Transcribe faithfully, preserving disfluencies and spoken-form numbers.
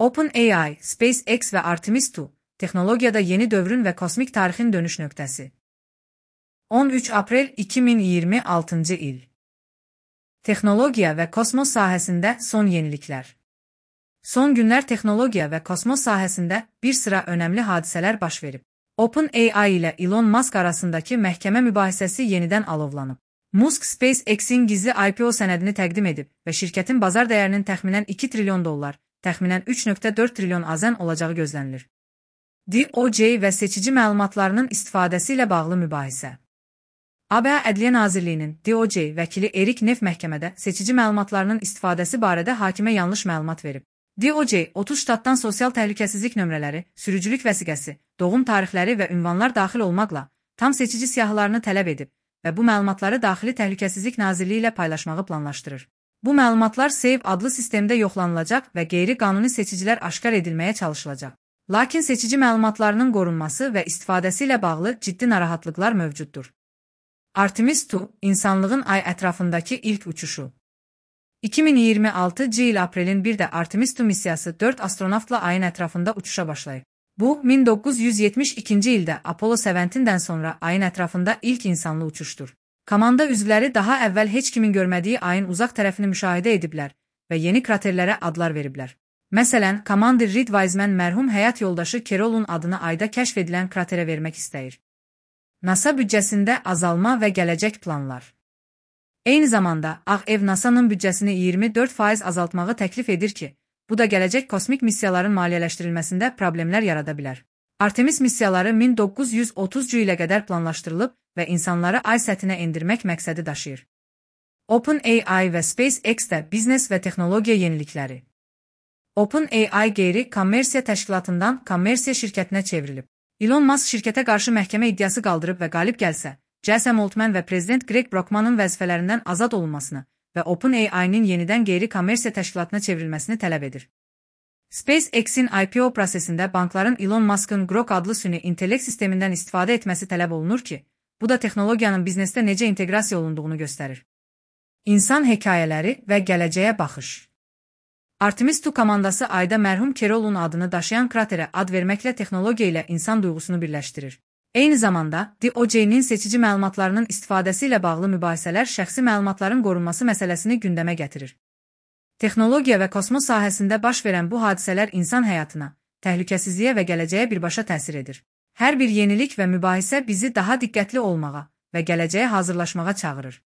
OpenAI, SpaceX və Artemis iki, texnologiyada yeni dövrün və kosmik tarixin dönüş nöqtəsi. on üç aprel iki min iyirmi altıncı il. Texnologiya və kosmos sahəsində son yeniliklər. Son günlər texnologiya və kosmos sahəsində bir sıra önəmli hadisələr baş verib. OpenAI ilə Elon Musk arasındakı məhkəmə mübahisəsi yenidən alovlanıb. Musk SpaceX-in gizli I P O sənədini təqdim edib və şirkətin bazar dəyərinin təxminən iki trilyon dollar, təxminən üç nöqtə dörd trilyon azən olacağı gözlənilir. D O J və seçici məlumatlarının istifadəsi ilə bağlı mübahisə. A B A Ədliyyə Nazirliyinin D O J vəkili Erik Neff məhkəmədə seçici məlumatlarının istifadəsi barədə hakimə yanlış məlumat verib. D O J otuz ştatdan sosial təhlükəsizlik nömrələri, sürücülük vəsiqəsi, doğum tarixləri və ünvanlar daxil olmaqla tam seçici siyahılarını tələb edib və bu məlumatları Daxili Təhlükəsizlik Nazirliyi ilə paylaşmağı planlaşdırır. Bu məlumatlar Save adlı sistemdə yoxlanılacaq və qeyri-qanuni seçicilər aşkar edilməyə çalışılacaq. Lakin seçici məlumatlarının qorunması və istifadəsi ilə bağlı ciddi narahatlıqlar mövcuddur. Artemis iki, insanlığın ay ətrafındakı ilk uçuşu. iki min iyirmi altıncı il aprelin birdə Artemis iki missiyası dörd astronavtla ayın ətrafında uçuşa başlayıb. Bu, min doqquz yüz yetmiş ikinci ildə Apollo yeddidən sonra ayın ətrafında ilk insanlı uçuşdur. Komanda üzvləri daha əvvəl heç kimin görmədiyi ayın uzaq tərəfini müşahidə ediblər və yeni kraterlərə adlar veriblər. Məsələn, komandir Reed Wiseman mərhum həyat yoldaşı Carol'un adını ayda kəşf edilən kraterə vermək istəyir. NASA büdcəsində azalma və gələcək planlar. Eyni zamanda, Ağ Ev NASA'nın büdcəsini iyirmi dörd faiz azaltmağı təklif edir ki, bu da gələcək kosmik missiyaların maliyyələşdirilməsində problemlər yarada bilər. Artemis missiyaları min doqquz yüz otuzuncu ilə qədər planlaşdırılıb və insanları ay səthinə endirmək məqsədi daşıyır. OpenAI və SpaceX-də biznes və texnologiya yenilikləri. OpenAI qeyri-kommersiya təşkilatından kommersiya şirkətinə çevrilib. Elon Musk şirkətə qarşı məhkəmə iddiası qaldırıb və qalib gəlsə, Jason Altman və prezident Greg Brockmanın vəzifələrindən azad olunmasını və OpenAI-nin yenidən qeyri-kommersiya təşkilatına çevrilməsini tələb edir. SpaceX-in I P O prosesində bankların Elon Musk'ın Grok adlı süni intellekt sistemindən istifadə etməsi tələb olunur ki, bu da texnologiyanın biznesdə necə inteqrasiya olunduğunu göstərir. İnsan hekayələri və gələcəyə baxış. Artemis iki komandası ayda mərhum Carol'un adını daşıyan kraterə ad verməklə texnologiya ilə insan duyğusunu birləşdirir. Eyni zamanda, D O J'nin seçici məlumatlarının istifadəsi ilə bağlı mübahisələr şəxsi məlumatların qorunması məsələsini gündəmə gətirir. Texnologiya və kosmos sahəsində baş verən bu hadisələr insan həyatına, təhlükəsizliyə və gələcəyə birbaşa təsir edir. Hər bir yenilik və mübahisə bizi daha diqqətli olmağa və gələcəyə hazırlaşmağa çağırır.